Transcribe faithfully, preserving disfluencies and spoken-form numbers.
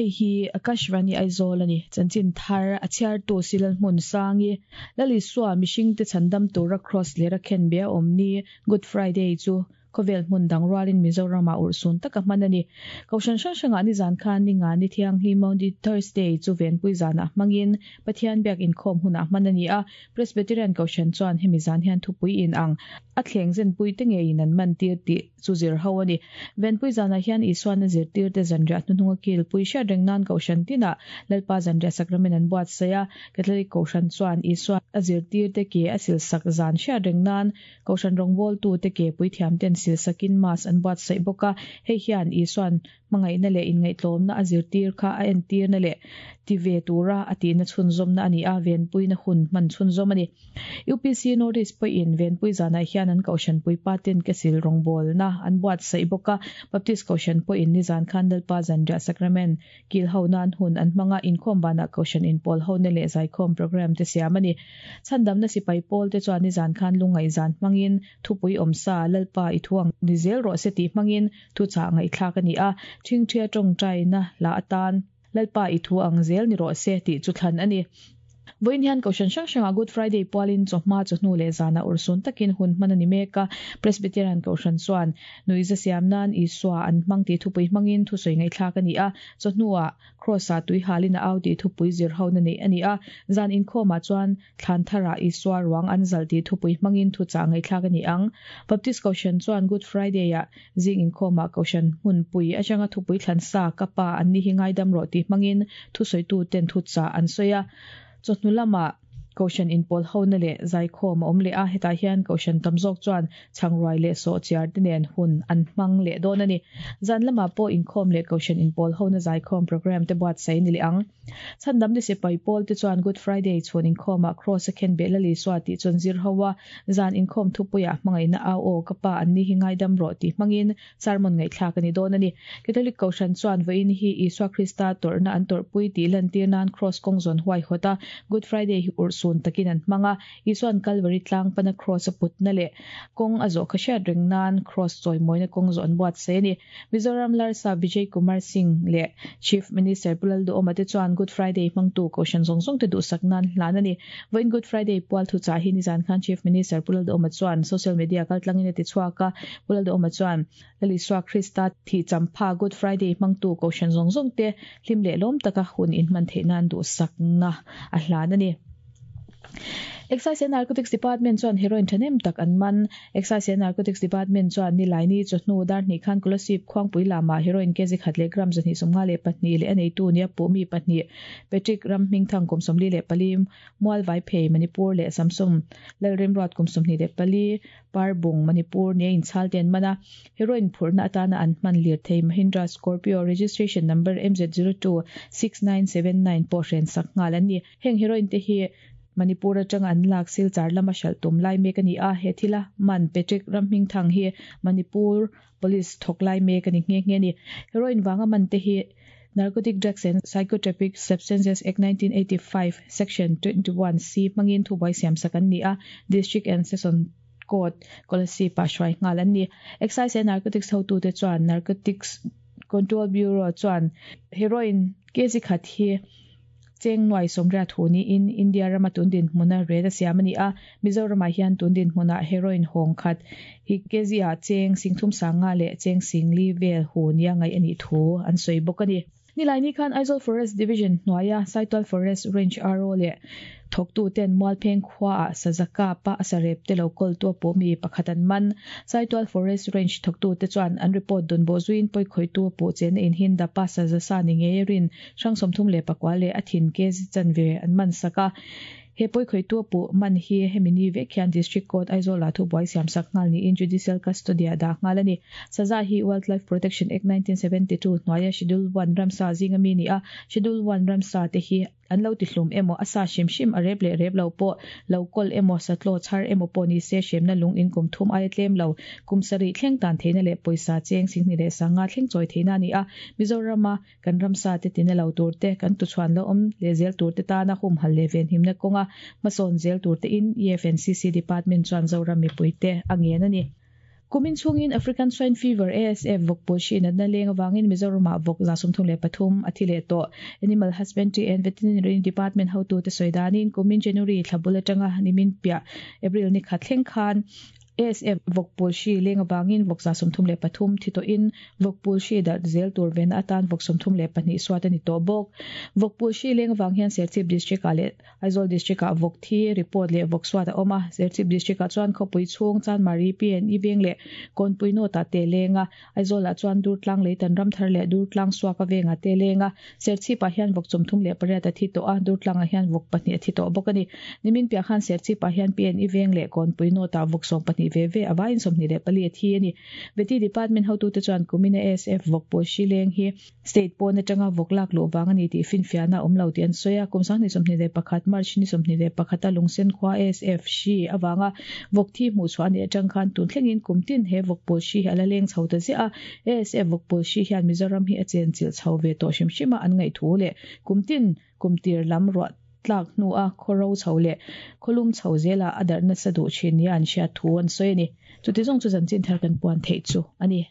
Hei hi Akashvani Aizawl ani chanchin thar a chhiartu silal hmun sangi Lalisua mihring te chandam tura cross lera khen be awmni Good Friday chu khovel hmun dang rualin Mizoram a ursun taka hman ani koshan hrang hranga ni zan khan ni nga ni thiang hi Maundy Thursday chu venpui zana hmangin Pathian biak inkhawm huna hman ani a Presbyterian koshan chuan hemi zan hian thupui in ang a thleng zen pui te nge in an man tir ti chu zir ho ani venpui zana hian Isuan a zir tir te zanriah hnuhnunga kil pui hriat reng nan koshan tina Lalpa zanriah sakramen an buat saya Catholic koshan chuan Isua a zir tir te ke a sil sak zan hriat reng nan koshan rawngbawl tu te ke pui thiam ten sil sakin mas an buat sai boka hei hian Isuan mangai na le in ngai tlom na a zir tir kha a en tir na le ti ve tura ati na chhun zom na ani a ven pui na hun man chhun zom ani U P C Northeast pui in ven pui zana hian an koshan pui pa ten ke sil rawngbawl na an buat sai boka Baptist koshan pui in ni zan khan Lalpa zanriah sacrament kil ho nan hun an hmanga inkhawm bana koshan in pol ho na le zai khawm program te siam ani chandam na sipai pol te chuan ni zan khan lungai zan hmangin thupui awmsa Lalpa i thuang ni zel rawh se ti hmangin thu cha ngai thlak ani a thing thia tawng tai na la atan Lalpa i thu ang zel ni rawh se ti chu thlan ani Voin hian koshan hrang hranga Good Friday pualin chawhma chawhnu leh zana ursun takin hun hman ani meka Presbyterian koshan chuan nuiza siam nan Isua an hmang ti thupui hmangin thusoi ngai thlak ani a chawhnua cross a tui halin a au ti thupui zir ho na nei ani a zan inkhawma chuan thlan thara Isua ruang an zal ti thupui hmangin thu cha ngai thlak ani ang Baptist koshan chuan Good Friday a zing inkhawma koshan hmun pui atanga thupui thlan sa kapa an ni hi ngaidam ro ti hmangin thusoi tu ten thu cha an soya chawhnu lama koshan in pol ho na le zai khawm a awm leh a hetah hian koshan tam zawk chuan chhangruai leh sawh chiar te nen hun an hmang leh dawn ani zan lama pawh inkhawm leh koshan in pol ho na zai khawm program te buat sai ni leh ang chandam ni sipai pawl te chuan Good Friday chhun inkhawma cross a khen be Lalisua tih chuan zir ho a zan inkhawm thupuia hmangai na au aw kapa an ni hi ngaidam rawh ti hmangin sermon ngai thlak ani dawn ani Catholic koshan chuan vain hi Isua Krista tawrhna an tawrhpui tih lantir nan cross kawng zawn huai hawta Good Friday hi ursun takin an hmanga Isuan Calvary tlang pana cross a put na le kawng a zawh kha hriat reng nan cross chawimawina kawng zawh an buat sai ani Mizoram Larsa Vijay Kumar Singh le Chief Minister Pu Lalduhoma te chuan Good Friday hmangtu koshan zawng zawng te duhsak nan hlan ani vain Good Friday pual thu cha hi ni zan khan Chief Minister Pu Lalduhoma chuan social media kal tlangin a ti chhuak a Pu Lalduhoma chuan Lalisua Krista thi champha Good Friday hmangtu koshan zawng zawng te hlim leh lawm taka hun in hman theih nan duhsak na a hlan ani Excise and Narcotics Department chuan heroin thanem tak an man Excise and Narcotics Department chuan ni laini chawhnu dar hnih khan Kolasib khuangpui lama heroin kg khat leh gram zahnih sawmnga leh pahnih leh a neitu nia pawh mi pahnih Patrick Ramhming Thang kum sawmli leh pali Mual Vai Phei Manipur leh Samsung Lalremruat kum sawmhnih leh pali Parbung Manipur nia inchhal ten mana heroin phurna atana an hman lir thei Mahindra Scorpio registration number M Z zero two six nine seven nine pawh hren sak nghal an ni heng heroin te hi Manipur atang an lak sil char lama hral tum lai mek ani a he thila man Patrick Ramhming Thang hi Manipur Police thawk lai mek ani nge nge ni heroin wanga man te hi Narcotic Drugs and Psychotropic Substances Act nineteen eighty-five Section twenty-one C mangin thubai siam sak an ni a District and Session Court Kolasib pa hruai nghal an ni Excise and Narcotics hotu te chuan Narcotics Control Bureau chuan heroin kg khat hi cheng nuai sawmriat thu ni in India rama tundin hmuna red a siam ani a Mizoram ah hian tundin hmuna heroin hawng khat hi kg ah cheng singthum sanga leh cheng singli vel hu nia ngai ani thu an sawi bawk ani Nilaini khan Aizawl Forest Division hnuaia Saitual Forest Range R O leh thawktu ten Mualpheng khua ah Sazaka pa asarep te lo kol tu pawh mi pakhat an man Saitual Forest Range thawktu te chuan an report dun bo zuin poi khoi tu pawh chen in hinda pa sazasa ni nge rin hrang sawmthum leh pakua leh a thin kg chanve an man saka he poi khoi tu pawh man hi hemini vek hian District Court Aizawl ah thu buai siam sak nghal ni in judicial custody a dah nghal ani saza hi Wildlife Protection Act nineteen seventy-two hnuaia Schedule one ramsa zinga mi ni a Schedule one ramsa te hi an lo ti hlum emaw asa hrim hrim a rep leh rep lo pawh lo kawl emaw satlaw chhar emaw pawh ni se hremna lung in kum thum aia tlem lo kum sarih thleng tan theihna leh pawisa cheng singhnih leh sanga thleng chawi theihna ani a Mizorama kan ramsa te tina lo tur te kan tuchhuan lo awm leh zel tur te tana hum hal leh ven himna kawnga hmasawn zel tur te in E F N C C Department chuan Zoram mipui te a ngen ani Kumin chungin African Swine Fever A S F vawkpui hri natna leng awangin Mizoram ah vawk za sawmthum leh pathum a thi leh tawh. Animal Husbandry and Veterinary Department hotu te sawi danin kumin January thlabul atanga nimin piah April ni khat thleng khan A S F vawkpui hri leng awangin vawk za sawmthum leh pathum thi tawhin vawkpui hri darh zel tur vena atan vawk sawmthum leh pahnih suat ani tawh bawk. Vawkpui hri leng awang hian Serchhip District ah leh Aizawl District ah vawk thi report leh vawk suat a awm a. Serchhip District ah chuan khawpui chhung Chanmari P and E veng leh Kawnpui North ah te lenga Aizawl ah chuan Durtlang Leitan Ramthar leh Durtlang Suaka vengah te lenga Serchhip ah hian vawk sawmthum leh pariat a thi tawh a, Durtlang ah hian vawk pahnih a thi tawh bawk ani. Nimin piah khan Serchhip ah hian P and E veng leh Kawnpui North ah vawk sawm pahnih ve ve awain sawmhnih leh pali a thi ani. Veti Department hotute chuan kumina A S F vawkpui hri leng hi state pawn atanga vawk lak luh wang ani tih finfiahna awm lo tih an sawi a. Kum sanghnih sawmhnih leh pakhat March ni sawmhnih leh pakhata lungsen khua A S F hri awanga vawk thi hmuh chhuah ani atang khan tun thlengin kum tin he vawkpui hri hi ala leng chho ta ziah a. A S F vawkpui hri hian Mizoram hi a chen chilh chho ve tawh hrim hrim a an ngaih thu leh kum tin kum tir lam ruah tlak hnu a khawro chho leh khawlum chho zela a darh nasa duh thin nia an hriat thu an sawi ani. Chuti zawng chu chanchin thar kan puan theih chu ani.